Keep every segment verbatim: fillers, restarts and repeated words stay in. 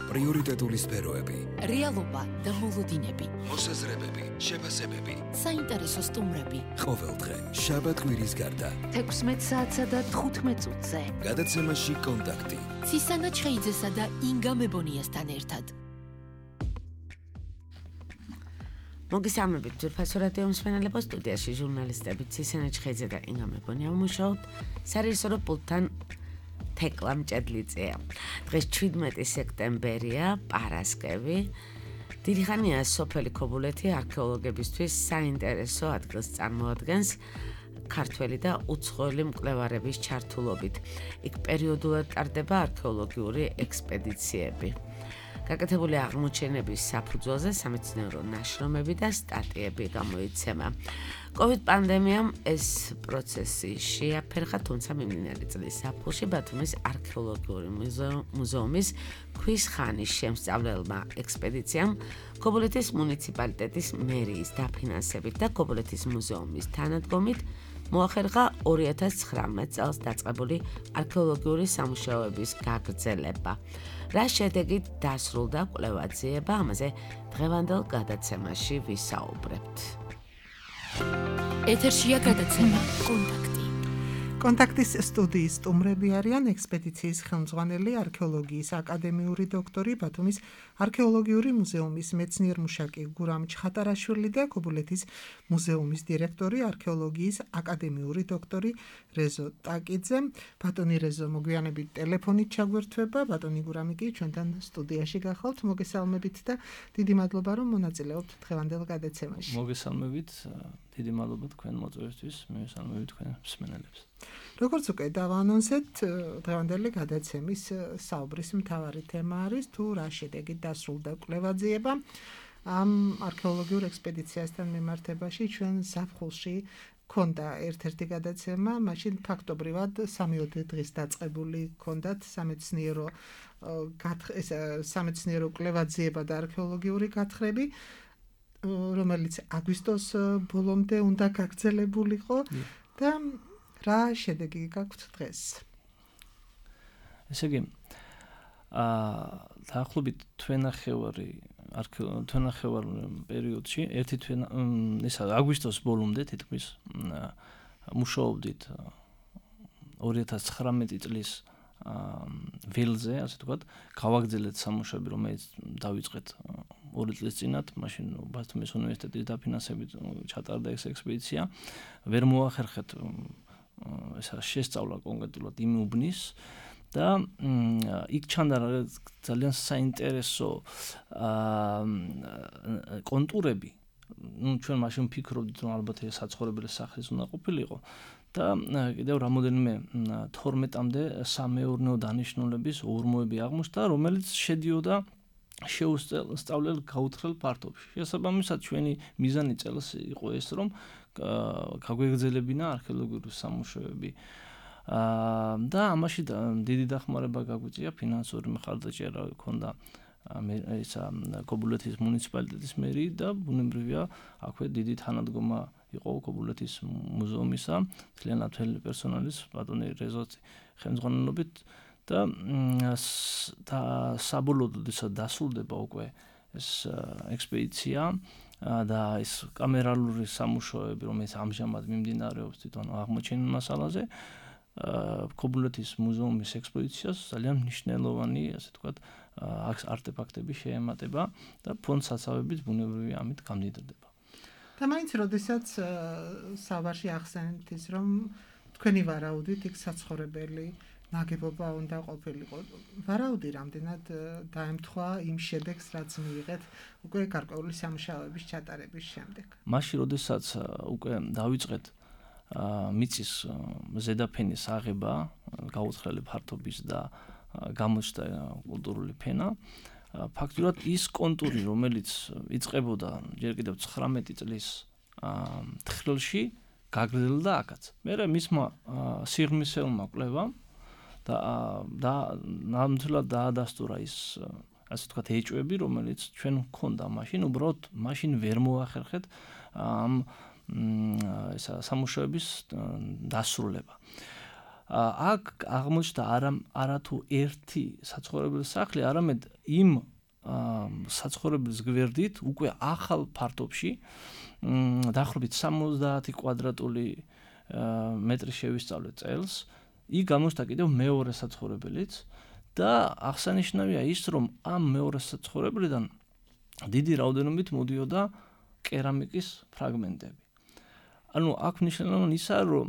პრიორიტეტული სფეროები, რეალობა და მოლოდინები, მოსაზრებები, შეფასებები, საინტერესო სტუმრები. ყოველდღე შაბათ-კვირის გარდა თექვსმეტ საათსა და თხუთმეტ წუთზე. გადაცემაში კონტაქტი. ცისანა ჩხეიძესა და ინგა მებონიასთან ერთად. მოგესალმებით ძვირფასო რადიო მსმენელებო, სტუდიაში ჟურნალისტები ცისანა ჩხეიძე და ინგა მებონია ვმუშაობთ სარეჟისორო პულტთან თეკლა მჭედლიძეა. დღეს შვიდმეტი სექტემბერია, პარასკევი. დიდი ხანია სოფელი ქობულეთი არქეოლოგებისთვის საინტერესო ადგილს წარმოადგენს ქართველი და უცხოელი მკვლევარების ჩართულობით. იქ პერიოდულად ტარდება არქეოლოგიური ექსპედიციები. გაკეთებული აღმოჩენების საფუძველზე სამეცნიერო ნაშრომები და სტატიები გამოიცემა. კოვიდ პანდემიამ ეს პროცესი შეაფერხა, თუმცა მიმდინარე წლის ზაფხულში ბათუმის არქეოლოგიური მუზეუმის ქვის ხანის შემსწავლელმა ექსპედიციამ ქობულეთის მუნიციპალიტეტის მერიის დაფინანსებით და ქობულეთის მუზეუმის თანადგომით მოახერხა ორი ათას ცხრამეტ წელს დაწყებული არქეოლოგიური სამუშაოების გაგრძელება. რა შედეგით დასრულდა კვლევა-ძიება, ამაზე დღევანდელ გადაცემაში ვისაუბრებთ. ეთერშია გადაცემა კონტაქტი. კონტაქტის სტუდიის სტუმრები არიან ექსპედიციის ხელმძღვანელი, არქეოლოგიის აკადემიური დოქტორი, ბათუმის არქეოლოგიური მუზეუმის მეცნიერ-მუშაკი გურამ ჩხატარაშვილი და ქობულეთის მუზეუმის დირექტორი, არქეოლოგიის აკადემიური დოქტორი რეზო ტაკიძე. ბატონი რეზო, მოგვიანებით ტელეფონით ჩაგვერთვება, ბატონი გურამი კი ჩვენთან სტუდიაში გახავთ. მოგესალმებით და დიდი მადლობა, რომ მონაწილეობთ დღევანდელ გადაცემაში. მოგესალმებით, დიდი მადლობა თქვენ მოწვევისთვის, მივესალმებით თქვენ მსმენელებს. როგორც უკვე დავანონსეთ, დღევანდელი გადაცემის საუბრის მთავარი თემა არის თუ რა შედეგით დასრულდა კვლევა-ძიება ამ არქეოლოგიურ ექსპედიციასთან მიმართებაში. ჩვენ ზაფხულში ქონდა ერთ-ერთი გადაცემა, მაშინ ფაქტობრივად სამიოდე დღის დაწყებული ქონდათ სამეცნიერო ეს სამეცნიერო კვლევა-ძიება და არქეოლოგიური გათხრები, რომელიც აგვისტოს ბოლომდე უნდა გაგრძელებულიყო და რა შედეგი გაქვთ დღეს? ესე იგი, აა დაახლოებით თვენახევარი თვენახევარ პერიოდში, ერთი თვენა ისა აგვისტოს ბოლომდე თითქმის მუშაობდით ორი ათას ცხრამეტი წლის ველზე, ასე ვთქვათ, გავაგრძელეთ სამუშაოები, რომელიც დავიწყეთ ორი წლის წინათ, მაშინ ბათუმის უნივერსიტეტის დაფინანსებით ჩატარდა ეს ექსპედიცია. ვერ მოახერხეთ ესა შესწავლა კონკრეტულად იმ უბნის და იქ ჩანდა ძალიან საინტერესო კონტურები. ნუ ჩვენ მაშინ ვფიქრობდით, რომ ალბათ ეს საცხოვრებელი სახლის უნდა ყოფილიყო და კიდევ რამოდენიმე თორმეტამდე სამეურნეო დანიშნულების ორმოები აღმოჩნდა, რომელიც შედიოდა შეუსწავლელ გაუთხრელ ფართობში. შესაბამისად, ჩვენი მიზანი წელს იყო ეს, რომ გაგვეგრძელებინა არქეოლოგიური სამუშაოები. და ამაში დიდი დახმარება გაგვიწია, ფინანსური მხარდაჭერა ჰქონდა ისა ქობულეთის მუნიციპალიტეტის მერიის და ბუნებრივია, აქვე დიდი თანადგომა იყო ქობულეთის მუზეუმისა, მთლიანად მთელი პერსონალის, ბატონი რეზოს ხელმძღვანელობით და და საბოლოოდ დასრულდება უკვე ეს ექსპედიცია და ეს კამერალური სამუშაოები, რომელიც ამჟამად მიმდინარეობს თვითონ აღმოჩენილ მასალაზე, ქობულეთის მუზეუმის ექსპოზიციას ძალიან მნიშვნელოვანი, ასე ვთქვათ, არტეფაქტები შეემატება და ფონდსაცავებით ბუნებრივია ამით გამდიდრდება. და მაინც როდესაც საუბარში ახსენეთ ის, რომ თქვენი ვარაუდით იქ საცხოვრებელი ნაგებობა უნდა ყოფილიყო. ვარაუდი რამდენად დაემთხვა იმ შედეგს, რაც მიიღეთ უკვე გარკვეული სამუშაოების ჩატარების შემდეგ. მაშინ, როდესაც უკვე დავიწყეთ მიწის ზედაფენის აღება, გაუცხრელი ფართობის და გამოჩნდა კულტურული ფენა, ფაქტურად ის კონტური, რომელიც იწყებოდა ჯერ კიდევ ცხრამეტი წლის თხრილში, გაგრძელდა აქაც. მერე მისმა სიღრმისეულმა კვლევამ და და ნამდვილად დაადასტურა ის, ასე ვთქვათ, ეჭვები, რომელიც ჩვენ გვქონდა მაშინ, უბრალოდ მაშინ ვერ მოახერხეთ ამ ესა სამუშაოების დასრულება. აქ აღმოჩნდა არა არათუ ერთი საცხოვრებელი სახლი, არამედ იმ საცხოვრებლის გვერდით უკვე ახალ ფართობში დაახლოებით სამოცდაათი კვადრატული მეტრი შევისწავლეთ წელს, იქ გამოჩნდა კიდევ მეორე საცხოვრებელიც და აღსანიშნავია ის, რომ ამ მეორე საცხოვრებლიდან დიდი რაოდენობით მოდიოდა კერამიკის ფრაგმენტები. ანუ აქ მნიშვნელოვანი ისაა, რომ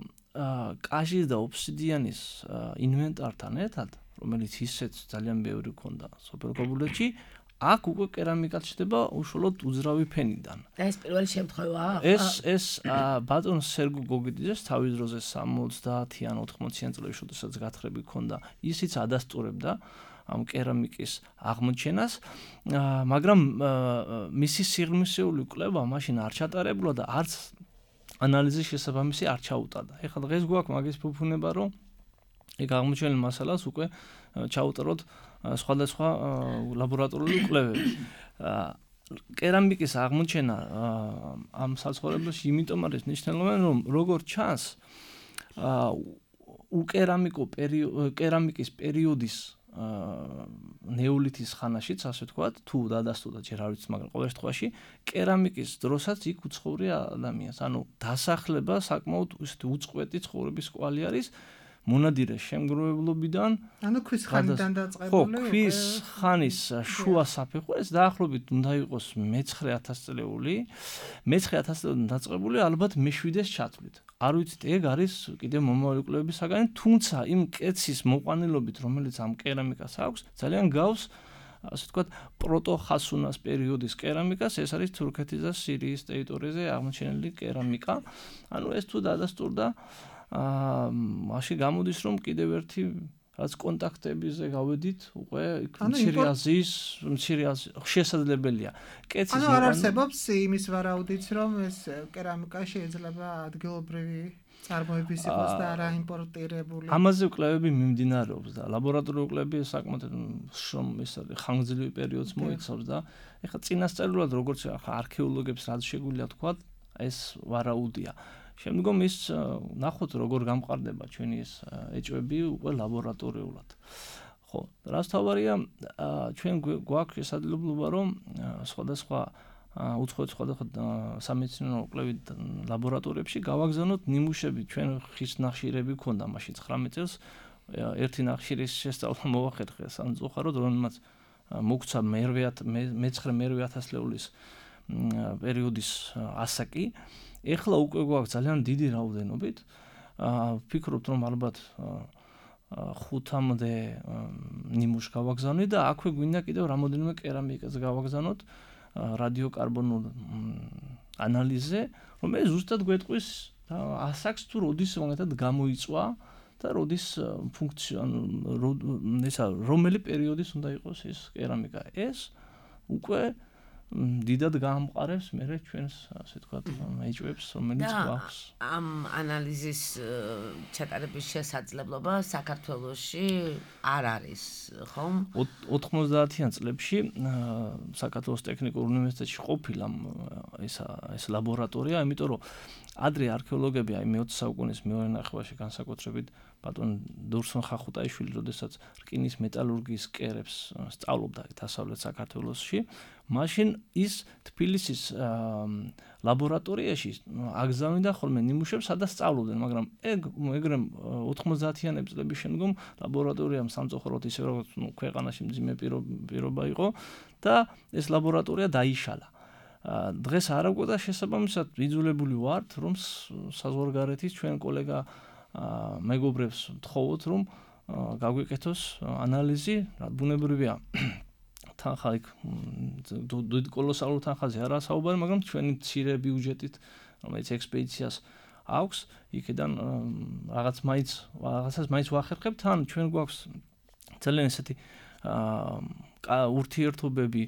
კაჟის და ობსიდიანის ინვენტართან ერთად, რომელიც ისეც ძალიან ბევრი ქონდა სოფელ გობულეთში, აქ უკვე კერამიკაც ხდება უშუალოდ უძრავი ფენიდან. და ეს პირველი შემთხვევაა? ეს ეს ბატონ სერგო გოგიდიძეს თავის დროზე სამოცდაათი ან ოთხმოციან წლებში, როდესაც გათხრები ქონდა, ისიც ადასტურებდა ამ კერამიკის აღმოჩენას, მაგრამ მისი სიღრმისეული კვლევა მაშინ არ ჩატარებულა და არც ანალიზის შესაბამისი არ ჩაუტარდა. ეხლა დღეს გვაქვს მაგის ფუფუნება, რომ ეგ აღმოჩენილ მასალას უკვე ჩაუტაროთ სხვადასხვა ლაბორატორიული კვლევები. კერამიკის აღმოჩენა ამ საცხოვრებელში იმიტომ არის მნიშვნელოვანი, რომ როგორც ჩანს, უკერამიკო კერამიკის პერიოდის ნეოლითის ხანაშიც, ასე ვთქვათ, თუ დადასტურდა ჯერ არ ვიცი, მაგრამ ყოველ შემთხვევაში კერამიკის დროსაც იქ უცხოვრია ადამიანს. ანუ დასახლება საკმაოდ ისეთი უწყვეტი ცხოვრების კვალი არის. მონადირე შემგროვებლობიდან, ანუ ქვის ხანიდან დაწყებული. ხო, ქვის ხანის შუა საფეხური, ეს დაახლოებით უნდა იყოს მეცხრე ათასწლეული, მეცხრე ათასწლეულიდან დაწყებული, ალბათ მეშვიდეს ჩათვლით. არ ვიცით, ეგ არის კიდევ მომავალი კვლევების საგანი, თუმცა იმ კეცის მოყვანილობით, რომელიც ამ კერამიკას აქვს, ძალიან გავს, ასე ვთქვათ, პროტოხასუნას პერიოდის კერამიკას, ეს არის თურქეთის და სირიის ტერიტორიაზე აღმოჩენილი კერამიკა. ანუ ეს თუ დადასტურდა აა მაშინ გამოდის, რომ კიდევ ერთი რაც კონტაქტებზე გავედით, უკვე მცირე აზიის, მცირე აზიის შესაძლებელია. კეცის ანუ არ არსებობს იმის ვარაუდიც, რომ ეს კერამიკა შეიძლება ადგილობრივი წარმოების იყოს და არა იმპორტირებული. ამაზე კვლევები მიმდინარეობს და ლაბორატორიული კვლევები საკმაოდ შრომ ეს არის ხანგრძლივი პერიოდს მოიცავს და ეხლა წინასწარულად როგორც ახლა არქეოლოგებს რაც შეგვიძლია თქვა, ეს ვარაუდია. შემდგომ ის ნახოთ როგორ გამყარდება ჩვენი ეს ეჭვები უკვე ლაბორატორიულად. ხო, რაც თავარია, ჩვენ გვაქვს შესაძლებლობა, რომ სხვადასხვა უცხოეთ სხვადასხვა სამეცნიერო კვლევით ლაბორატორიებში გავაგზავნოთ ნიმუშები, ჩვენ ხის ნახშირები ქონდა მაშინ ცხრამეტ წელს, ერთი ნახშირის შესწავლა მოვახერხე სამწუხაროდ, რომელმაც მოგცა მეცხრე მერვე ათასწლეულის პერიოდის ასაკი. ეხლა უკვე გვაქვს ძალიან დიდი რაოდენობით. ვფიქრობთ, რომ ალბათ ხუთამდე ნიმუშს გავაგზავნით და აქვე გვინდა კიდევ რამოდენიმე კერამიკას გავაგზავნოთ რადიოკარბონულ ანალიზზე, რომელიც ზუსტად გვეტყვის ასაკს თუ როდის მონათად გამოიწვა და როდის ფუნქცია, ესა რომელი პერიოდის უნდა იყოს ეს კერამიკა. ეს უკვე დიდად გაამყარებს მე ჩვენს ასე ვთქვათ ეჭვებს, რომელიც გვაქვს. ამ ანალიზის ჩატარების შესაძლებლობა საქართველოში არ არის, ხომ? ოთხმოცდაათიან წლებში საქართველოს ტექნიკურ უნივერსიტეტში ყოფილა ესა ეს ლაბორატორია, იმიტომ რომ ადრე არქეოლოგები აი მეოცე საუკუნის მეორე ნახევარში განსაკუთრებით ბატონ დურსონ ხახუტაიშვილი, როდესაც რკინის მეტალურგიის კერებს სწავლობდა დასავლეთ საქართველოში, მაშინ ის თბილისის ლაბორატორიაში აგზავნიდა ხოლმე ნიმუშებს, სადაც სწავლობდნენ, მაგრამ ეგ ეგრე ოთხმოცდაათიანების წლების შემდგომ ლაბორატორიამ სამწუხაროდ ისე როგორც ქვეყანაში მძიმე პირობა იყო და ეს ლაბორატორია დაიშალა. დღეს არ აგვდა შესაბამისად ვიძულებული ვართ, რომ საზღვარგარეთის ჩვენ კოლეგა მეგობრებს ვთხოვოთ, რომ გაგვიკეთოს ანალიზი, რა ბუნებრივია. თანხა იქ კოლოსალურ თანხაზე არა საუბარი, მაგრამ ჩვენი მცირე ბიუჯეტით, რომელიც ექსპედიციას აქვს, იქიდან რაღაც მაინც რაღაცას მაინც ვახერხებთ, თან ჩვენ გვაქვს ძალიან ესეთი ურთიერთობები,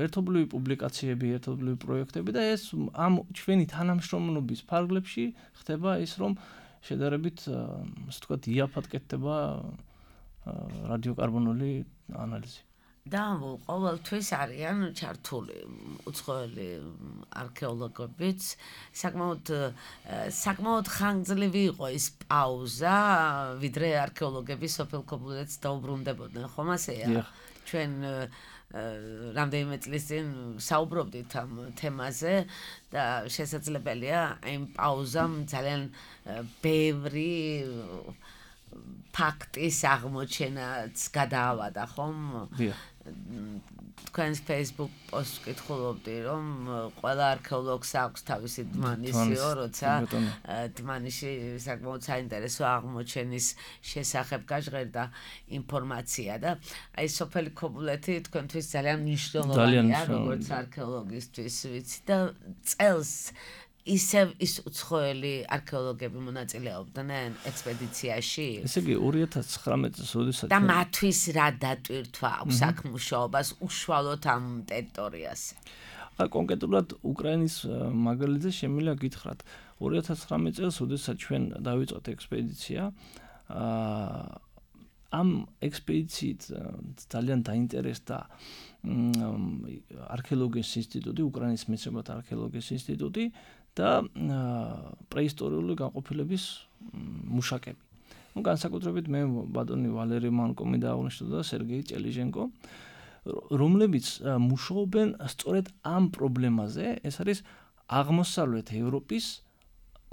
ერთობლივი პუბლიკაციები, ერთობლივი პროექტები და ეს ამ ჩვენი თანამშრომლობის ფარგლებში ხდება ის, რომ შედარებით, ასე ვთქვათ, იაფად კეთდება რადიოკარბონული ანალიზი. და ყოველთვის არიან ჩართული უცხოელი არქეოლოგებიც. საკმაოდ საკმაოდ ხანგრძლივი იყო ის პაუზა, ვიდრე არქეოლოგები სოფელ ქობულეთს დაუბრუნდებოდნენ, ხომ ასეა? ჩვენ რამდენიმე წლის წინ საუბრობდით ამ თემაზე და შესაძლებელია იმ პაუზამ ძალიან ბევრი ფაქტის აღმოჩენაც გადაავადა, ხომ? თქვენს Facebook პოსტს ვკითხულობდი, რომ ყველა არქეოლოგს აქვს თავისი დმანისიო, როცა დმანიში საკმაოდ საინტერესო აღმოჩენის შესახებ გაჟღერდა ინფორმაცია და აი სოფელი ქობულეთი თქვენთვის ძალიან მნიშვნელოვანია, როგორც არქეოლოგისთვის ვიცი და წელს ისევ ის უცხოელი არქეოლოგები მონაწილეობდნენ ექსპედიციაში. ესე იგი ორი ათას ცხრამეტ წელს როდესაც და მათთვის რა დატვირთვა აქვს აქ მუშაობას უშუალოდ ამ ტერიტორიაზე. აა კონკრეტულად უკრაინის მაგალითზე შემიძლია გითხრათ. ორი ათას ცხრამეტ წელს როდესაც ჩვენ დავიწყოთ ექსპედიცია, აა ამ ექსპედიციით ძალიან დაინტერესდა არქეოლოგიის ინსტიტუტი, უკრაინის მეცნიერებათა არქეოლოგიის ინსტიტუტი და პრეისტორიული განყოფილების მუშაკები. Ну, განსაკუთრებით მე ბატონი ვალერი მანკომი დაავნიშნო და სერგეი ჭელიჟენკო, რომლებიც მუშაობენ სწორედ ამ პრობლემაზე, ეს არის აღმოსავლეთ ევროპის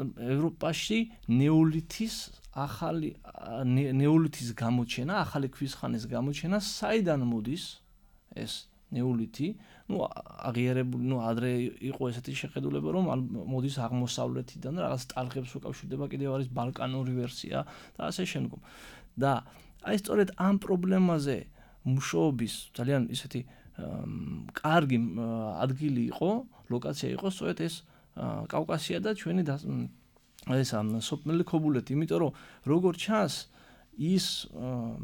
ევროპაში ნეოლითის ახალი ნეოლითის გამოჩენა, ახალი ქვის ხანის გამოჩენა, საიდან მოდის ეს ნეოლითი, ну, აღიარებული, ну, ადრე იყო ესეთი შეხედულება, რომ მოდის აღმოსავლეთიდან, რაღაც ტალღებს უკავშირდება, კიდევ არის ბალკანური ვერსია და ასე შემდგომ. და აი სწორედ ამ პრობლემაზე მუშაობის ძალიან ისეთი კარგი ადგილი იყო, ლოკაცია იყო სწორედ ეს კავკასია და ჩვენი ეს სოფელი ქობულეთი, იმიტომ რომ როგორც ჩანს, ის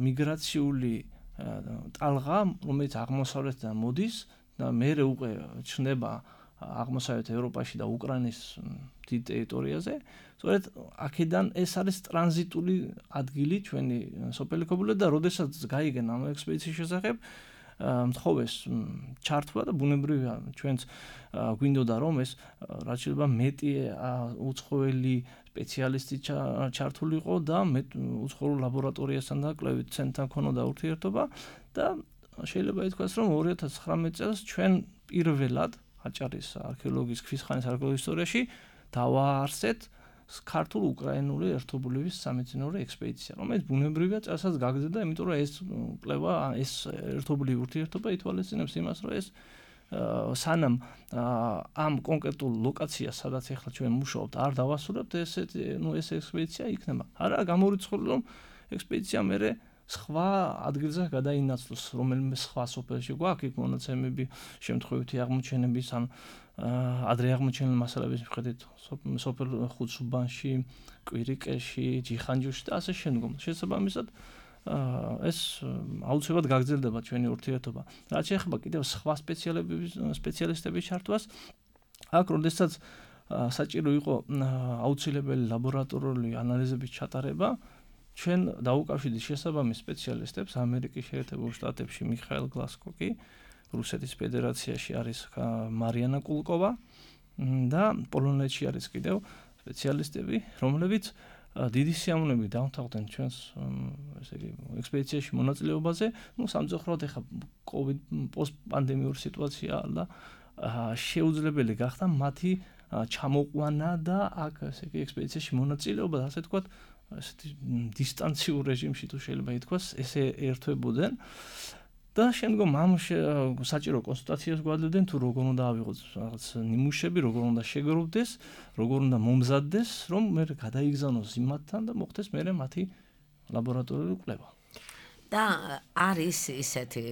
მიგრაციული ტალღა, რომელიც აღმოსავლეთიდან მოდის და მერე უკვე ჩნდება აღმოსავლეთ ევროპაში და უკრაინის დიდ ტერიტორიაზე, სწორედ აქედან ეს არის ტრანზიტული ადგილი ჩვენი სოფელი ქობულეთი და როდესაც გაიგენ ამ ექსპედიციის შესახებ, მთხოვეს ჩართვა და ბუნებრივია ჩვენც გვინდოდა რომ ეს რაც შეიძლება მეტი უცხოელი სპეციალისტი ჩართულიყო და უცხოურ ლაბორატორიასთან და კვლევით ცენტრთან ქონოდა ურთიერთობა და შეიძლება ითქვას რომ ორი ათას ცხრამეტ წელს ჩვენ პირველად აჭარის არქეოლოგიის ქვის ხანის არქეოლოგიის ისტორიაში დავაარსეთ ქართულ-უკრაინული ერთობლივების სამეცნიერო ექსპედიცია, რომელიც ბუნებრივია წელსაც გაგრძელდა, იმიტომ რომ ეს კვლევა, ეს ერთობლივი ურთიერთობა ითვალისწინებს იმას, რომ ეს სანამ ამ კონკრეტულ ლოკაციას, სადაც ახლა ჩვენ მუშაობთ, არ დავასრულებთ, ესეთი, ну, ეს ექსპედიცია იქნება. არა გამორიცხული, რომ ექსპედიცია მერე სხვა ადგილზე გადაინაცვლოს, რომელიმე სხვა სოფელში გვაქვს იქ მონაცემები, შემთხვევითი აღმოჩენების ან ადრე აღმოჩენილი მასალების მიხედვით სოფელ ხუთსუბანში, კვირიკეში, ჯიხანჯუში და ასე შემდგომ. შესაბამისად, ეს აუცილებლად გაგრძელდება ჩვენი ურთიერთობა. რაც შეეხება კიდევ სხვა სპეციალისტების ჩართვას, აქ როდესაც საჭირო იყო აუცილებელი ლაბორატორიული ანალიზების ჩატარება, ჩვენ დაუკავშირდით შესაბამის სპეციალისტებს ამერიკის შეერთებულ შტატებში მიხაილ გლასკოკი, რუსეთის ფედერაციაში არის მარიანა კულკოვა და პოლონეთში არის კიდევ სპეციალისტები, რომლებიც დიდი სიამოვნებით დავთანხმდნენ ჩვენს ესე იგი ექსპედიციაში მონაწილეობაზე, ну, სამწუხაროდ ეხა COVID პოსტპანდემიური სიტუაცია და შეუძლებელი გახდა მათი ჩამოყვანა და აქ ესე იგი ექსპედიციაში მონაწილეობა, ასე თქვათ, ესეთი დისტანციურ რეჟიმში თუ შეიძლება ითქვას, ესე ერთვებოდნენ. და შემდგომ ამ საჭირო კონსულტაციას გვაძლევდნენ თუ როგორ უნდა ავიღოთ რაღაც ნიმუშები, როგორ უნდა შეგროვდეს, როგორ უნდა მომზადდეს, რომ მე გადაიგზავნოს იმათთან და მოხდეს მე მათი ლაბორატორიული კვლევა. და არის ისეთი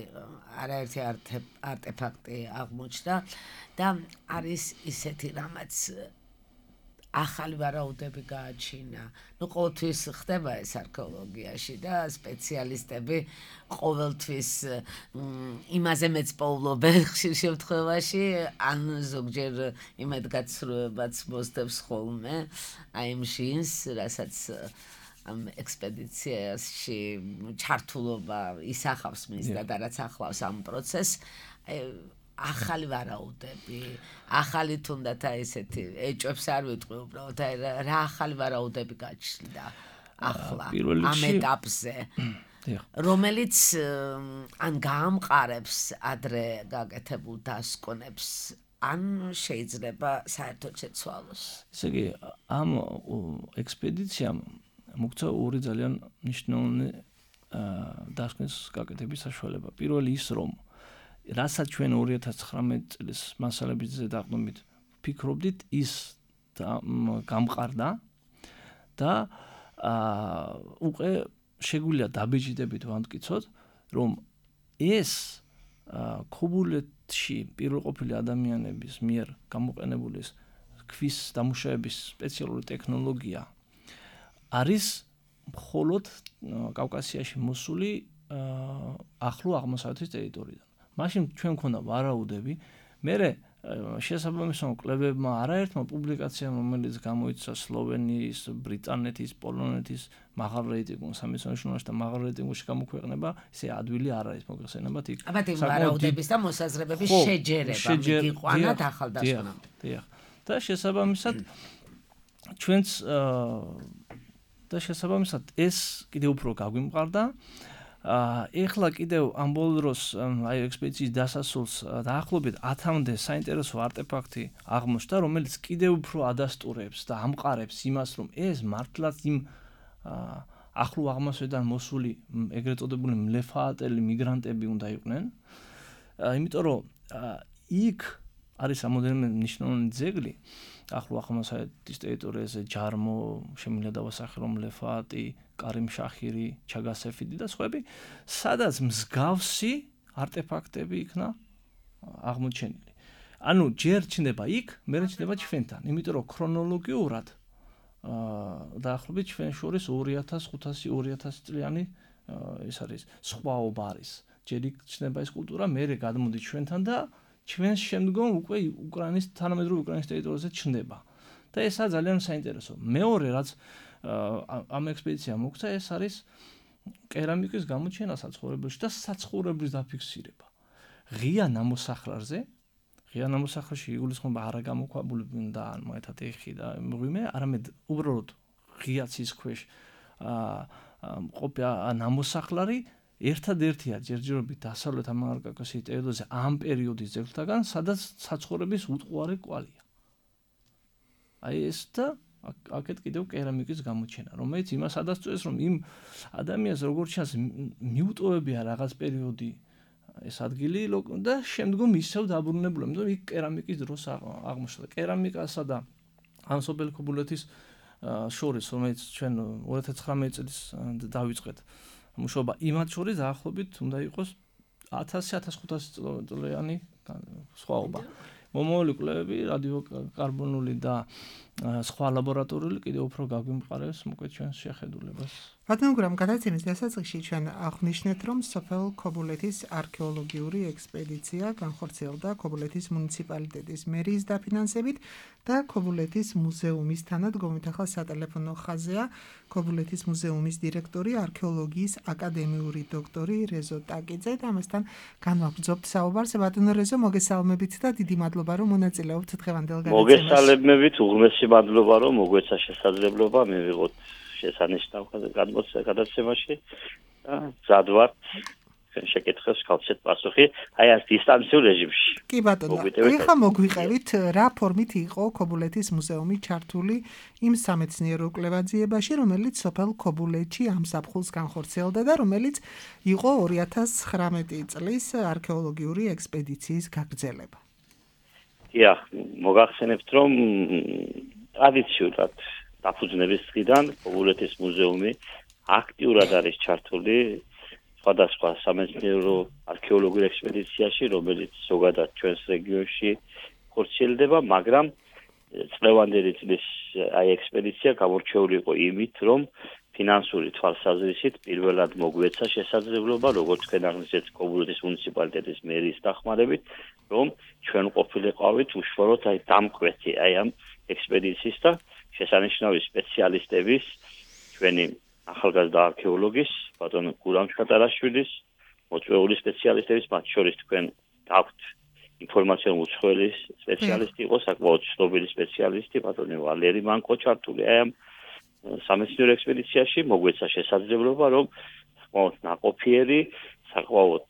არაერთი არტეფაქტი აღმოჩნდა და არის ისეთი რამაც ახალი ვარაუდები გააჩინა. Ну, ყოველთვის ხდება ეს არქეოლოგიაში და სპეციალისტები ყოველთვის იმაზე მეწვეულობენ ხშირ შემთხვევაში, ან ზოგჯერ იმედგაცრუებაც მოსდევს ხოლმე, აი იმ შინს, რასაც ამ ექსპედიციაში ჩართულობა ისახავს მის და რაც ახლავს ამ პროცესს ახალი ვარაუდები, ახალი თუნდაც აი ესეთი ეჭვებს არ ვიტყვი უბრალოდ აი რა ახალი ვარაუდები გაჩნდა ახლა ამ ეტაპზე რომელიც ან გაამყარებს ადრე გაკეთებულ დასკვნებს ან შეიძლება საერთოდ შეცვალოს. ესე იგი ამ ექსპედიციამ მოგცა ორი ძალიან მნიშვნელოვანი დასკვნის გაკეთების საშუალება. პირველი ის რომ რასაც ჩვენ ორი ათას ცხრამეტი წლის მასალების ზედაყრდნობით ფიქრობდით, ის გამყარდა და უკვე შეგვიძლია დაბეჭდებით ვამტკიცოთ, რომ ეს ქობულეთში პირველყოფილი ადამიანების მიერ გამოყენებული ქვის დამუშავების სპეციალური ტექნოლოგია არის მხოლოდ კავკასიაში მოსული ახლო აღმოსავლეთის ტერიტორიიდან. მაშინ ჩვენ მქონდა ვარაუდები, მერე შესაბამისად კლებებმა არაერთმა პუბლიკაციამ, რომელიც გამოიცა სლოვენიის, ბრიტანეთის, პოლონეთის მაღალ რეიტინგულ სამეცნიერო ჟურნალში და მაღალ რეიტინგულში გამოქვეყნება, ესე ადვილი არ არის მოგეხსენებათ იქ. აბა იმ ვარაუდების და მოსაზრებების შეჯერება მიგიყვანათ ახალდასკვნამ. დიახ. და შესაბამისად ჩვენც და შესაბამისად ეს კიდევ უფრო გაგვიმყარდა. ეხლა კიდევ ამ ბოლო დროს აი ექსპედიციის დასასრულს დაახლოებით ათამდე საინტერესო არტეფაქტი აღმოჩნდა, რომელიც კიდევ უფრო ადასტურებს და ამყარებს იმას, რომ ეს მართლაც იმ ახლო აღმოსავლეთიდან მოსული ეგრეთ წოდებული მლეფაატელი მიგრანტები უნდა იყვნენ. იმიტომ რომ იქ არის რამოდენიმე მნიშვნელოვანი ძეგლი ახლო აღმოსავლეთის ტერიტორიაზე ჯარმო, შემიძლია დავასახელო მლეფაატი, კარიმ შახირი, ჩაგასეფიდი და სხვები, სადაც მსგავსი არტეფაქტები იქნა აღმოჩენილი. ანუ ჯერ ჩნდება იქ, მერე ჩნდება ჩვენთან, იმიტომ რომ ქრონოლოგიურად დაახლოებით ჩვენ შორის ორი ათას ხუთასი ორი ათასი წლიანი ეს არის სხვაობა არის. ჯერ იქ ჩნდება ეს კულტურა, მერე გადმოდი ჩვენთან და ჩვენს შემდგომ უკვე უკრაინის თანამედროვე უკრაინის ტერიტორიაზე ჩნდება. და ესაა ძალიან საინტერესო. მეორე რაც ამ ექსპედიციამ მოგცა, ეს არის კერამიკის გამოჩენა საცხოვრებელში და საცხოვრებლის დაფიქსირება. ღია ნამოსახლარზე, ღია ნამოსახლარში იგულისხმება არა გამოქვაბული და მაგათად ეხი და მღვიმე, არამედ უბრალოდ ღია ცის ქვეშ ყოფილი ნამოსახლარი ერთადერთია ჯერჯერობით დასავლეთ ამიერკავკასიის ტერიტორიაზე ამ პერიოდის ძეგლთაგან, სადაც საცხოვრების უტყუარი კვალია. აი ეს და აქეთ კიდევ კერამიკის გამოჩენა, რომელიც იმას ადასტურებს, რომ იმ ადამიანს როგორც ჩანს მიუტოვებია რაღაც პერიოდი ეს ადგილი და შემდგომ ისევ დაბრუნებულა, იმიტომ იქ კერამიკის დროს აღმოჩნდა. კერამიკასა და ამ სოფელ ქობულეთის შორის, რომელიც ჩვენ ორი ათას ცხრამეტი წლის დავიწყეთ მუშაობა, იმათ შორის დაახლოებით უნდა იყოს ათასი ათას ხუთასი წლიანი სხვაობა. მომავალი კვლევები, რადიოკარბონული და სხვა ლაბორატორიული კიდევ უფრო გაგვიმყარებს მოკლედ ჩვენს შეხედულებას. ბატონო, გადაცემის დასაწყისში ჩვენ აღვნიშნეთ, რომ სოფელ ქობულეთის არქეოლოგიური ექსპედიცია განხორციელდა ქობულეთის მუნიციპალიტეტის მერიის დაფინანსებით და ქობულეთის მუზეუმის თანადგომით. ახლა სატელეფონო ხაზია ქობულეთის მუზეუმის დირექტორი, არქეოლოგიის აკადემიური დოქტორი რეზო ტაკიძე და ამასთან განვაგრძობთ საუბარს. ბატონო რეზო, მოგესალმებით და დიდი მადლობა, რომ მონაწილეობთ დღევანდელ გადაცემაში. მოგესალმებით, უღრმესი მადლობა, რომ მოგვეცა შესაძლებლობა მივიღოთ შესანიშნავ გადაცემაში და მზად ვარ შეკითხებს გავცეთ პასუხი აი ამ დისტანციურ რეჟიმში. კი ბატონო, ეხლა მოგვიყევით რა ფორმით იყო ქობულეთის მუზეუმი ჩართული იმ სამეცნიერო კვლევაძიებაში, რომელიც სოფელ ქობულეთში ამ ზაფხულს განხორციელდა და რომელიც იყო ორი ათას ცხრამეტი წლის არქეოლოგიური ექსპედიციის გაგრძელება. დიახ, მოგახსენებთ, რომ ტრადიციულად დაფუძნების დღიდან ქობულეთის მუზეუმი აქტიურად არის ჩართული სხვადასხვა სამეცნიერო არქეოლოგიურ ექსპედიციაში, რომელიც ზოგადად ჩვენს რეგიონში ხორციელდება, მაგრამ წლევანდელი წლის აი ექსპედიცია გამორჩეული იყო იმით, რომ ფინანსური თვალსაზრისით პირველად მოგვეცა შესაძლებლობა, როგორც თქვენ აღნიშნეთ, ქობულეთის მუნიციპალიტეტის მერიის დახმარებით, რომ ჩვენ ყოფილიყავით უშუალოდ აი დამკვეთი აი ამ ექსპედიციის და შესანიშნავი სპეციალისტების ჩვენი ახალგაზრდა არქეოლოგის, ბატონ გურამ ჩხატარაშვილის, მოწვეული სპეციალისტების, მათ შორის თქვენ გაქვთ ინფორმაციული უცხოელის სპეციალისტი იყო, საკმაოდ ცნობილი სპეციალისტი, ბატონი ვალერი მანკო ჩართული აი ამ სამეცნიერო ექსპედიციაში, მოგვეცა შესაძლებლობა, რომ საკმაოდ ნაყოფიერი, საკმაოდ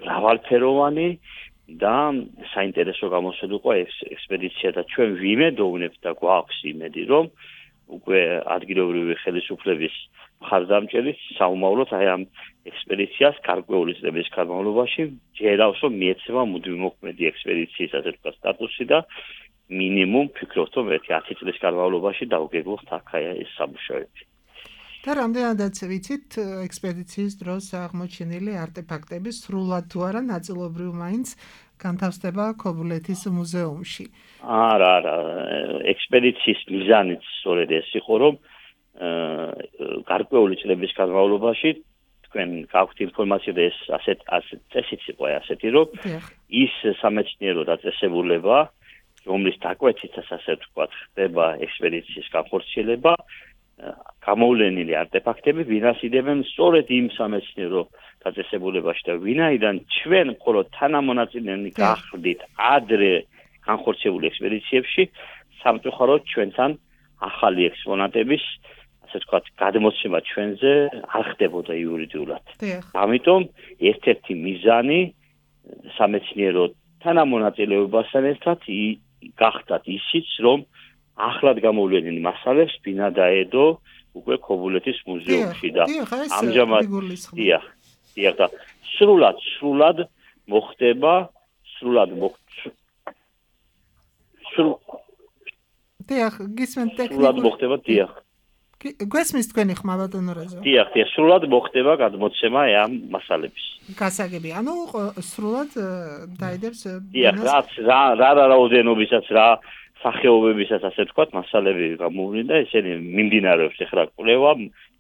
მრავალფეროვანი და საინტერესო გამოსვლილიყო ექსპედიცია და ჩვენ ვიმედოვნებთ და გვაქვს იმედი, რომ უკვე ადგილობრივი ხელისუფლების მხარდამჭერით საომავლოდ აი ამ ექსპედიციას გარკვეული წლების განმავლობაში ჯერავს, რომ მიეცემა მუდმივმოქმედი ექსპედიციის ასე ვთქვათ სტატუსი და მინიმუმ ფიქრობთ, რომ ერთი ათი წლის განმავლობაში დავგეგმოთ აქ აი ეს სამუშაოები. და რამდენადაც ვიცით, ექსპედიციის დროს აღმოჩენილი არტეფაქტები სრულად თუ არა ნაწილობრივ მაინც განთავსდება ქობულეთის მუზეუმში. არა, არა, ექსპედიციის მიზანიც სწორედ ეს იყო, რომ გარკვეული წლების განმავლობაში თქვენ გაქვთ ინფორმაცია და ეს ასეთ ასეთ წესიც იყო ასეთი, რომ ის სამეცნიერო დაწესებულება, რომლის დაკვეთითაც ასე ვთქვათ, ხდება ექსპედიციის განხორციელება, გამოვლენილი არტეფაქტები ვინასიდებენ სწორედ იმ სამეცნიერო დაწესებულებაში და ვინაიდან ჩვენ მხოლოდ თანამონაწილენი გახდით ადრე განხორციელებული ექსპედიციებში, სამწუხაროდ ჩვენთან ახალი ექსპონატების ასე ვთქვათ, გადმოცემა ჩვენზე არ ხდებოდა იურიდიულად. ამიტომ ერთ-ერთი მიზანი სამეცნიერო თანამონაწილეობასთან ერთად გახდათ ისიც, რომ ახლად გამოვლენილ მასალებს ბინა დაედო უკვე ქობულეთის მუზეუმში და ამჟამად დიახ, დიახ და სრულად, სრულად მოხდება, სრულად მოხდება დიახ, გისმენთ ტექნიკურად სრულად მოხდება, დიახ. გვესმის თქვენი ხმა ბატონო რაზო? დიახ, დიახ, სრულად მოხდება გადმოცემა ამ მასალების. გასაგები, ანუ სრულად დაიდებს დიახ, რაც რა რა რაოდენობისაც რა სახეობებისაც ასე ვთქვათ, მასალები გამოვლენ და ესენი მიმდინარეობს ეხლა კვლევა,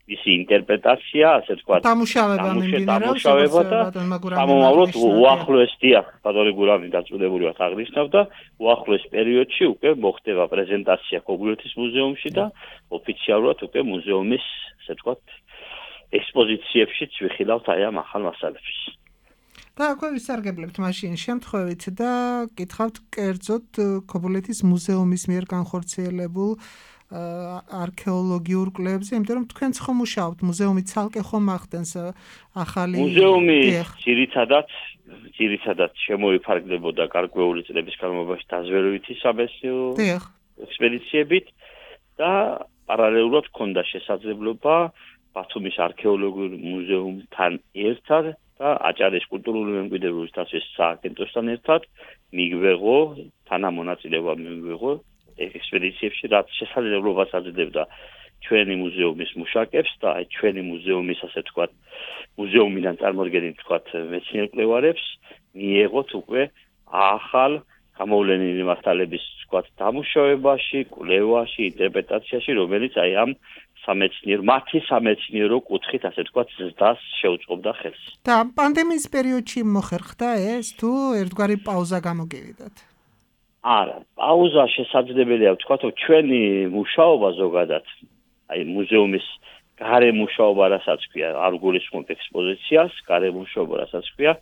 მისი ინტერპრეტაცია, ასე ვთქვათ, დამუშავება მიმდინარეობს, სამომავლოდ უახლოეს დიახ, ბატონი გურამი დაწუნებული ვართ აღნიშნავ და უახლოეს პერიოდში უკვე მოხდება პრეზენტაცია ქობულეთის მუზეუმში და ოფიციალურად უკვე მუზეუმის, ასე ვთქვათ, ექსპოზიციებშიც ვიხილავთ აი ამ ახალ მასალებს. და აქვე ვისარგებლებთ მაშინ შემთხვევით და კითხავთ კერძოდ ქობულეთის მუზეუმის მიერ განხორციელებულ არქეოლოგიურ კვლევებზე, იმიტომ რომ თქვენც ხომ მუშაობთ, მუზეუმი ცალკე ხომ ახდენს ახალი მუზეუმი ძირითადად ძირითადად შემოიფარგლებოდა გარკვეული წლების განმავლობაში დაზვერვითი სამეცნიერო ექსპედიციებით და პარალელურად ჰქონდა შესაძლებლობა ბათუმის არქეოლოგიურ მუზეუმთან ერთად და აჭარის კულტურული მემკვიდრეობის დაცვის სააგენტოსთან ერთად მიგვეღო თანამონაწილეობა მიგვეღო ექსპედიციებში, რაც შესაძლებლობას აძლევდა ჩვენი მუზეუმის მუშაკებს და აი ჩვენი მუზეუმის ასე ვთქვათ, მუზეუმიდან წარმოდგენილ ვთქვათ მეცნიერ კვლევარებს მიეღოთ უკვე ახალ გამოვლენილი მასალების ვთქვათ დამუშავებაში, კვლევაში, ინტერპრეტაციაში, რომელიც აი ამ სამეცნიერო მათი სამეცნიერო კუთხით ასე ვთქვათ ზრდას შეუწყობდა ხელს. და პანდემიის პერიოდში მოხერხდა ეს თუ ერთგვარი პაუზა გამოგივიდათ? არა, პაუზა შესაძლებელია ვთქვათ, რომ ჩვენი მუშაობა ზოგადად, აი მუზეუმის გარე მუშაობა რასაც ქვია, არ გულისხმობ ექსპოზიციას, გარე მუშაობა რასაც ქვია,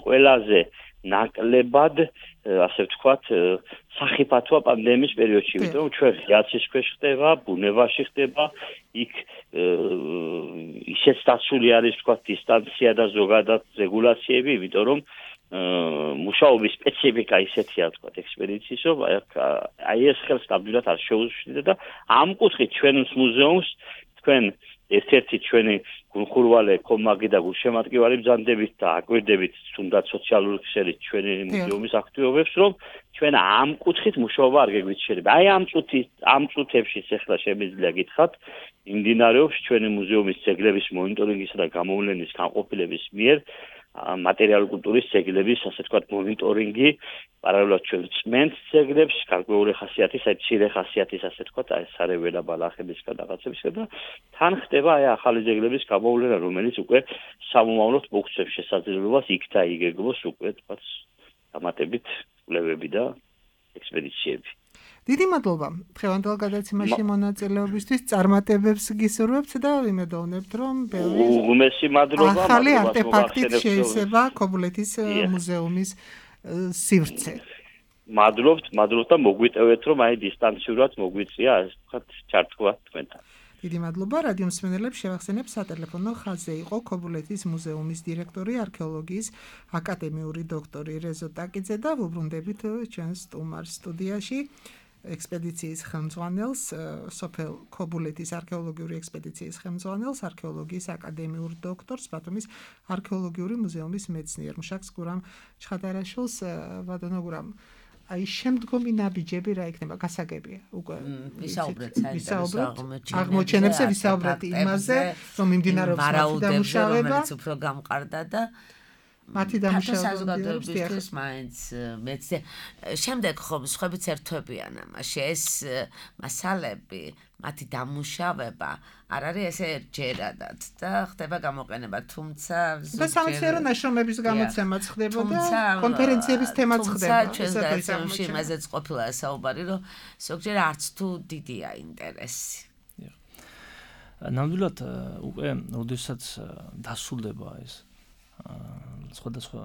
ყველაზე ნაკლებად, ასე ვთქვათ, სახიფათოა პანდემიის პერიოდში, იმიტომ რომ ჩვენ ღიაცის ქვეშ ხდება, ბუნებაში ხდება, იქ ისეც დაცული არის, ვთქვათ, დისტანცია და ზოგადად რეგულაციები, იმიტომ რომ მუშაობის სპეციფიკა ისეთია, ვთქვათ, ექსპედიციის, რომ აი ეს ხელს ნამდვილად არ შეუშვიდა და ამ კუთხით ჩვენს მუზეუმს თქვენ ერთ-ერთი ჩვენი გულხურვალე კომაგი და გულშემატკივარი ბრძანდებით და აკვირდებით თუნდაც სოციალური ქსელით ჩვენი მუზეუმის აქტივობებს, რომ ჩვენ ამ კუთხით მუშაობა არ გეგვით შეიძლება. აი ამ წუთი ამ წუთებშიც ახლა შემიძლია გითხრათ, იმდინარეობს ჩვენი მუზეუმის ძეგლების მონიტორინგისა და გამოვლენის განყოფილების მიერ material კულტურის ძეგლების, ასე ვთქვათ, მონიტორინგი, პარალელურად ჩვენ წმენთ ძეგლებს, გარკვეული ხასიათის, აი მცირე ხასიათის, ასე ვთქვათ, აი სარეველა ბალახებისგან რაღაცებისგან და თან ხდება აი ახალი ძეგლების გამოვლენა, რომელიც უკვე სამომავლოდ მოგვცემს შესაძლებლობას იქ დაიგეგმოს უკვე, ვთქვათ, დამატებით კვლევები და ექსპედიციები. დიდი მადლობა დღევანდელ გადაცემაში მონაწილეობისთვის, წარმატებებს გისურვებთ და ვიმედოვნებთ, რომ ბევრი უღმესი მადლობა ახალი არტეფაქტით შეიძლება ქობულეთის მუზეუმის სივრცე. მადლობთ, მადლობთ და მოგვიტევეთ, რომ აი დისტანციურად მოგვიწია ასე ვთქვათ ჩართვა თქვენთან. დიდი მადლობა რადიო მსმენელებს შევახსენებ სატელეფონო ხაზზე იყო ქობულეთის მუზეუმის დირექტორი არქეოლოგიის აკადემიური დოქტორი რეზო ტაკიძე და ვუბრუნდებით ჩვენს სტუმარ სტუდიაში ექსპედიციის ხელმძღვანელს სოფელ ქობულეთის არქეოლოგიური ექსპედიციის ხელმძღვანელს არქეოლოგიის აკადემიურ დოქტორს ბათუმის არქეოლოგიური მუზეუმის მეცნიერ მუშაკს გურამ ჩხადარაშვილს. ბატონო გურამ, აი შემდგომი ნაბიჯები რა იქნება, გასაგებია უკვე ვისაუბრეთ საინტერესო აღმოჩენებზე, ვისაუბრეთ იმაზე, რომ მიმდინარეობს მათი დამუშავება, რომელიც უფრო გამყარდა და მათი დამუშავება საზოგადოებისთვის მაინც მეცე შემდეგ ხომ სხვაებიც ერთვებიან ამაში, ეს მასალები, მათი დამუშავება არ არის ესე ერთჯერადად და ხდება გამოყენება, თუმცა და სამეცნიერო ნაშრომების გამოცემაც ხდება და კონფერენციების თემაც ხდება. ჩვენს გადაცემაში იმაზეც ყოფილა საუბარი, რომ ზოგჯერ არც თუ დიდია ინტერესი. ნამდვილად უკვე როდესაც დასრულდება ეს სხვადასხვა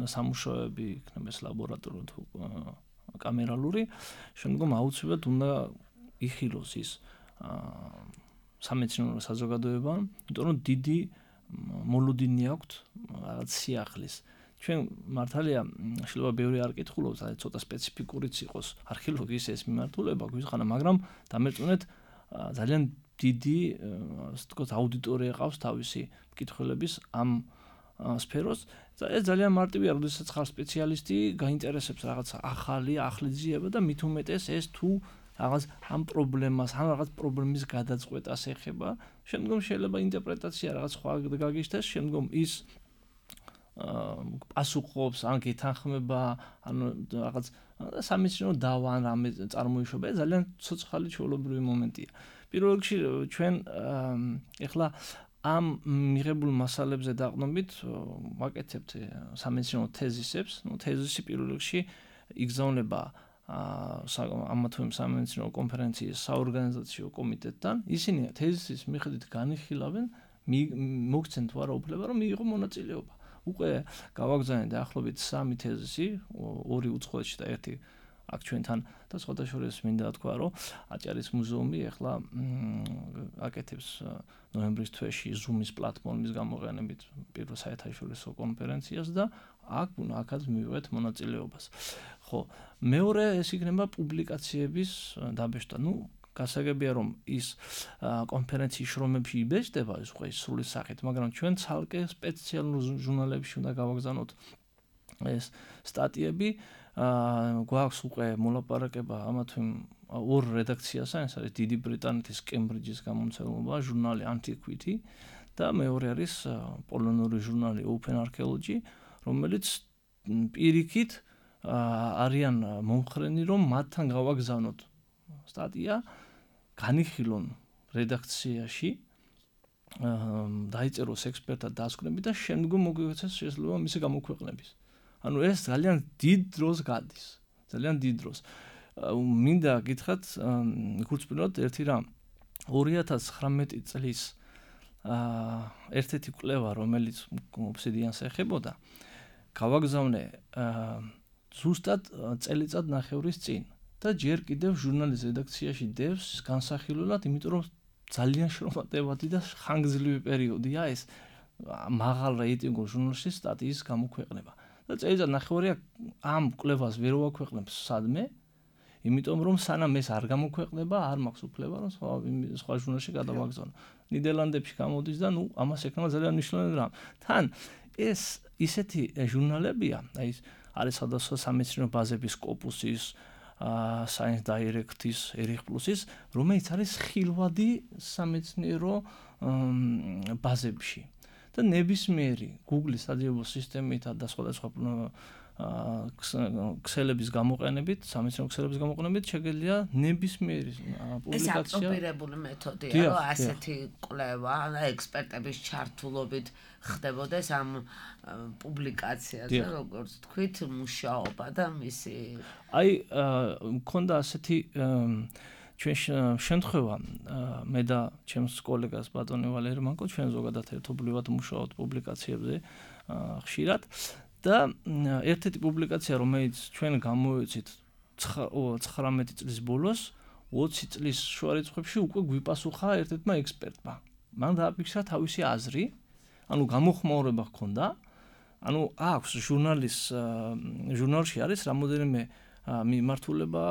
სამუშაოები, იქნება ეს ლაბორატორიული თუ კამერალური, შემდგომ აუცილებლად უნდა იხილოს ის სამეცნიერო საზოგადოებამ, იმიტომ რომ დიდი მოლოდინი აქვთ რაღაც სიახლის. ჩვენ მართალია შეიძლება ბევრი არ კითხულობს, აი ცოტა სპეციფიკურიც იყოს არქეოლოგიის ეს მიმართულება გვიწყანა, მაგრამ დამერწმუნეთ ძალიან დიდი, ასე ვთქვათ, აუდიტორია ყავს თავისი მკითხველების ამ სფეროს. ეს ძალიან მარტივია, როდესაც ხარ სპეციალისტი, გაინტერესებს რაღაც ახალი, ახალი ძიება და მით უმეტეს ეს თუ რაღაც ამ პრობლემას, ან რაღაც პრობლემის გადაწყვეტას ეხება, შემდგომ შეიძლება ინტერპრეტაცია რაღაც სხვა გაგიშთეს, შემდგომ ის პასუხობს, ან გეთანხმება, ან რაღაც სამეცნიერო დავა ან რამე წარმოიშვება, ძალიან ცოცხალი ჩვეულებრივი მომენტია. პირველ რიგში ჩვენ ეხლა ამ მიღებულ მასალებზე დაყრდნობით ვაკეთებთ სამეცნიერო თეზისებს. ნუ თეზისი პირველ რიგში იგზავნება ამა თუ იმ სამეცნიერო კონფერენციის საორგანიზაციო კომიტეტთან. ისინი თეზისის მიხედვით განიხილავენ, მოგცენ თუ არა უფლება, რომ მიიღო მონაწილეობა. უკვე გავაგზავნეთ დაახლოებით სამი თეზისი, ორი უცხოეთში და ერთი აქ ჩვენთან და სხვათა შორის მინდა თქვა, რომ აჭარის მუზეუმი ახლა აკეთებს ნოემბრის თვეში Zoom-ის პლატფორმის გამოყენებით პირველ საერთაშორისო კონფერენციას და აქ აქაც მივიღეთ მონაწილეობას. ხო, მეორე ეს იქნება პუბლიკაციების დაბეჭდა. ნუ გასაგებია, რომ ის კონფერენციის შრომებში იბეჭდება ეს უკვე სრული სახით, მაგრამ ჩვენ ცალკე სპეციალურ ჟურნალებში უნდა გავაგზავნოთ ეს სტატიები. გვაქვს უკვე მოლაპარაკება ამა თუ იმ ორ რედაქციასთან, ეს არის დიდი ბრიტანეთის კემბრიჯის გამომცემლობა, ჟურნალი Antiquity და მეორე არის პოლონური ჟურნალი Open Archaeology, რომელიც პირიქით არიან მომხრენი, რომ მათთან გავაგზავნოთ სტატია, განიხილონ რედაქციაში, დაიწეროს ექსპერტად დასკვნები და შემდგომ მოგვეცეს შესაძლებლობა მისი გამოქვეყნების. ანუ ეს ძალიან დიდ დროს გადის, ძალიან დიდ დროს. მინდა გითხრათ, გულწრფელად ერთი რამ, ორი ათას ცხრამეტი წლის ერთ-ერთი კვლევა, რომელიც ობსიდიანს ეხებოდა, გავაგზავნე ზუსტად წელიწად ნახევრის წინ და ჯერ კიდევ ჟურნალის რედაქციაში დევს განსახილველად, იმიტომ რომ ძალიან შრომატევადი და ხანგრძლივი პერიოდია ეს მაღალ რეიტინგურ ჟურნალში სტატიის გამოქვეყნება. და წელიწად ნახევარია ამ კვლევას ვერ ვაქვეყნებს სადმე, იმიტომ რომ სანამ ეს არ გამოქვეყნება, არ მაქვს უფლება, რომ სხვა სხვა ჟურნალში გადავაგზავნო. ნიდერლანდებში გამოდის და ნუ ამას ეკნება ძალიან მნიშვნელოვანი რამ. თან ეს ისეთი ჟურნალებია, აი არის სხვადასხვა სამეცნიერო ბაზების Scopus-ის, Science Direct-ის, Erich Plus-ის, რომელიც არის ხილვადი სამეცნიერო ბაზებში. და ნებისმიერი Google-ის საძიებო სისტემითა და სხვადასხვა ქსელების გამოყენებით, სამეცნიერო ქსელების გამოყენებით შეგიძლია ნებისმიერი პუბლიკაცია. ეს აპრობირებული მეთოდია, რომ ასეთი კვლევა, ექსპერტების ჩართულობით ხდებოდეს ამ პუბლიკაციაზე, როგორც თქვით, მუშაობა და მისი აი, მქონდა ასეთი ჩვენ შემთხვევა, მე და ჩემს კოლეგას ბატონი ვალერი მანკო ჩვენ ზოგადად ერთობლივად მუშაობთ პუბლიკაციებზე ხშირად. და ერთ-ერთი პუბლიკაცია, რომელიც ჩვენ გამოვეცით ცხრამეტი წლის ბოლოს, ოცი წლის შუარიცხვებში უკვე გვიპასუხა ერთ-ერთმა ექსპერტმა. მან დააფიქსირა თავისი აზრი, ანუ გამოხმაურება ჰქონდა, ანუ აქვს ჟურნალის ჟურნალში არის რამოდენიმე მიმართულება,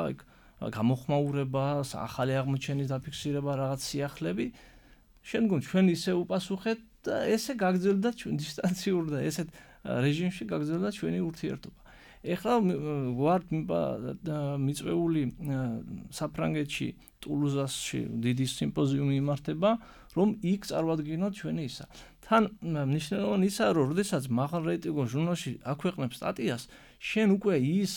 გამოხმაურება, ახალი აღმოჩენის დაფიქსირება, რაღაც სიახლეები. შემდგომ ჩვენ ისე უპასუხეთ და ესე გაგრძელდა ჩვენ დისტანციურ და ესეთ რეჟიმში გაგრძელდა ჩვენი ურთიერთობა. ეხლა ვართ მიწვეული საფრანგეთში, ტულუზაში დიდი სიმპოზიუმი იმართება, რომ იქ წარვადგინოთ ჩვენი ისა. თან მნიშვნელოვანი ისაა, რომ როდესაც მაღალ რეიტინგურ ჟურნალში აქვეყნებ სტატიას, შენ უკვე ის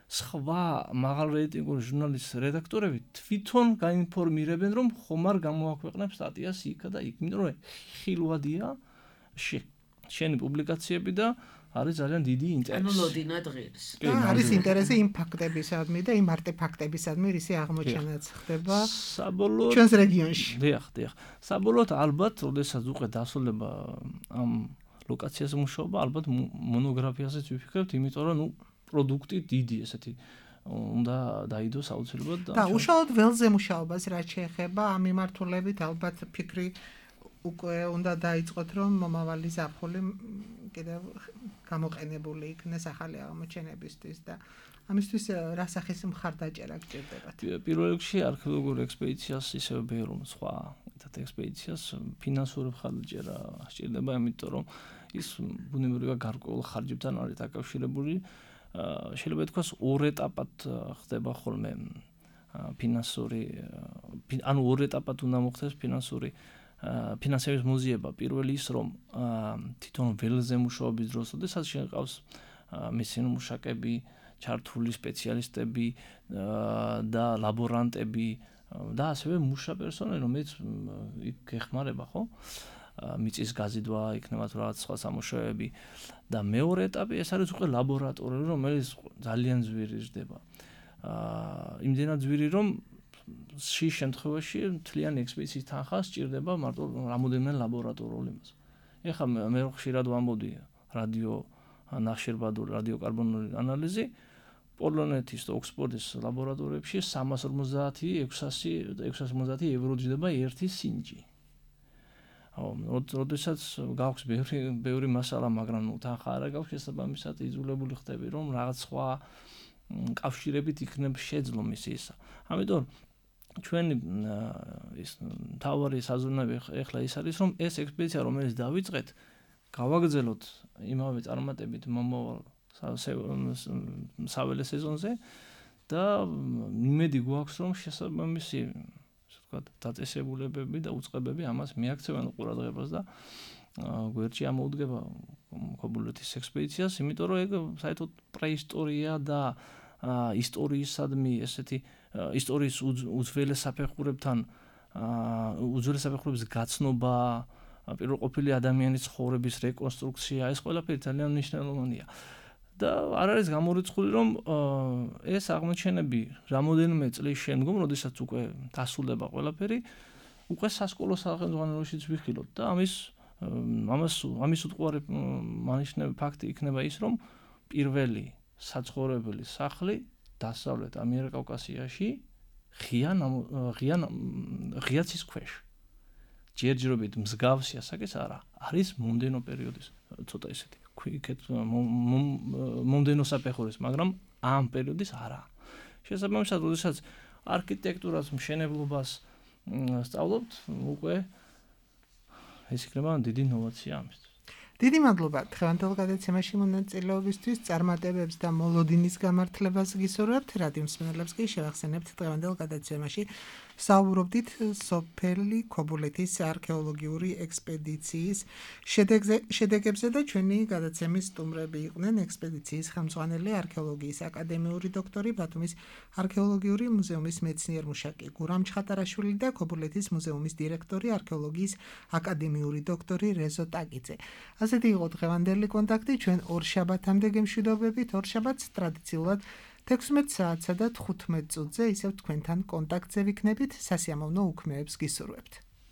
სხვა მაღალ რეიტინგურ ჟურნალის რედაქტორები თვითონ გაინფორმირებენ, რომ ხომ არ გამოაქვეყნებ სტატიას იქა და იქ, იმიტომ რომ ხილვადია შენი პუბლიკაციები და არის ძალიან დიდი ინტერესი. ანუ ლოდინად ღირს. არის ინტერესი იმ ფაქტებისადმი და იმ არტეფაქტებისადმი, რისი აღმოჩენაც ხდება საბოლოოდ ჩვენს რეგიონში. დიახ, დიახ. საბოლოოდ ალბათ, როდესაც უკვე დასრულდება ამ ლოკაციაზე მუშაობა, ალბათ მონოგრაფიაზეც ვიფიქრებთ, იმიტომ რომ ნუ პროდუქტი დიდი ესეთი უნდა დაიდოს აუცილებლად და უშუალოდ ველზე მუშაობას რაც შეეხება ამ მიმართულებით ალბათ ფიქრი უკვე უნდა დაიწყოთ, რომ მომავალი ზაფხული კიდევ გამოყენებული იქნეს ახალი აღმოჩენებისთვის და ამისთვის რა სახის მხარდაჭერა გჭირდებათ? პირველ რიგში არქეოლოგიურ ექსპედიციას ისევ ბევრ სხვა ერთ ექსპედიციას ფინანსური მხარდაჭერა სჭირდება, იმიტომ რომ ის ბუნებრივია გარკვეულ ხარჯებთან არის დაკავშირებული. შეიძლება ითქვას ორ ეტაპად ხდება ხოლმე ფინანსური, ანუ ორ ეტაპად უნდა მოხდეს ფინანსური ფინანსების მოზიება. პირველი ის, რომ თვითონ ველზე მუშაობის დროს, შესაძლოა შეყავს მესინა მუშაკები, ჩართული სპეციალისტები და ლაბორანტები და ასევე მუშა პერსონალი, რომელიც იქ ეხმარება, ხო? მიწის გაზიდვა, იქნება თუ რაღაც სხვა სამუშაოები და მეორე ეტაპი ეს არის უკვე ლაბორატორია, რომელიც ძალიან ძვირი ხდება. აა იმდენად ძვირი, რომ შის შემთხვევაში მთლიანი ექსპედიციის თანხა სჭირდება მარტო რამოდენიმე ლაბორატორიული იმას. ეხლა მე ხშირად ვამბობდი რადიო ნახშირბადული რადიოკარბონული ანალიზი პოლონეთის და ოქსფორდის ლაბორატორიებში სამას ორმოცდაათი ექვსას ორმოცდაათი ევრო ჯდება ერთი სინჯი. აუ, როდესაც გაქვს ბევრი ბევრი მასალა, მაგრამ ნუ თანხა არ გაქვს, შესაბამისად იძულებული ხდები, რომ რაღაც სხვა კავშირებით იქნებ შეძლო მისი ისა. ამიტომ ჩვენი ის თავარი საზრუნავი ეხლა ის არის, რომ ეს ექსპედიცია, რომელიც დავიწყეთ, გავაგრძელოთ იმავე წარმატებით მომავალ საველე სეზონზე და იმედი გვაქვს, რომ შესაბამისი დაწესებულებები და უწყებები ამას მიაქცევენ ყურადღებას და გვერდში ამოუდგება ქობულეთის ექსპედიციას, იმიტომ რომ ეგ საერთოდ პრეისტორია და ისტორიისადმი ესეთი ისტორიის უძველეს საფეხურებთან უძველეს საფეხურების გაცნობა, პირველყოფილი ადამიანის ცხოვრების რეკონსტრუქცია, ეს ყველაფერი ძალიან მნიშვნელოვანია. და არ არის გამორიცხული, რომ ეს აღმოჩენები რამოდენიმე წლის შემდგომ, როდესაც უკვე დასრულდება ყველაფერი, უკვე სასკოლო სახელმძღვანელოშიც ვიხილოთ და ამის ამას ამის უტყუარი მანიშნები ფაქტი იქნება ის, რომ პირველი საცხოვრებელი სახლი დასავლეთ ამიერკავკასიაში ღია ღია ღიაცის ქვეშ ჯერჯერობით მსგავსი ასაკის არა, არის მომდენო პერიოდის ცოტა ისეთი იქეთ მომდენო საფეხურის, მაგრამ ამ პერიოდის არა. შესაბამისად, როდესაც არქიტექტურას, მშენებლობას სწავლობთ, უკვე ეს იქნება დიდი ინოვაცია ამისთვის. დიდი მადლობა დღევანდელ გადაცემაში მონაწილეობისთვის, წარმატებებს და მოლოდინის გამართლებას გისურვებთ. რადიო მსმენელებს კი შევახსენებთ დღევანდელ გადაცემაში საუბრობდით სოფელი ქობულეთის არქეოლოგიური ექსპედიციის შედეგებზე და ჩვენი გადაცემის სტუმრები იყვნენ ექსპედიციის ხელმძღვანელი არქეოლოგიის აკადემიური დოქტორი ბათუმის არქეოლოგიური მუზეუმის მეცნიერ-მუშაკი გურამ ჩხატარაშვილი და ქობულეთის მუზეუმის დირექტორი არქეოლოგიის აკადემიური დოქტორი რეზო ტაკიძე. ასეთი იყო დღევანდელი კონტაქტი. ჩვენ ორ შაბათამდე გემშვიდობებით. ორ შაბათს ტრადიციულად თექვსმეტ საათსა და თხუთმეტ წუთზე ისევ თქვენთან კონტაქტზე ვიქნებით. სასიამოვნო უქმეებს გისურვებთ.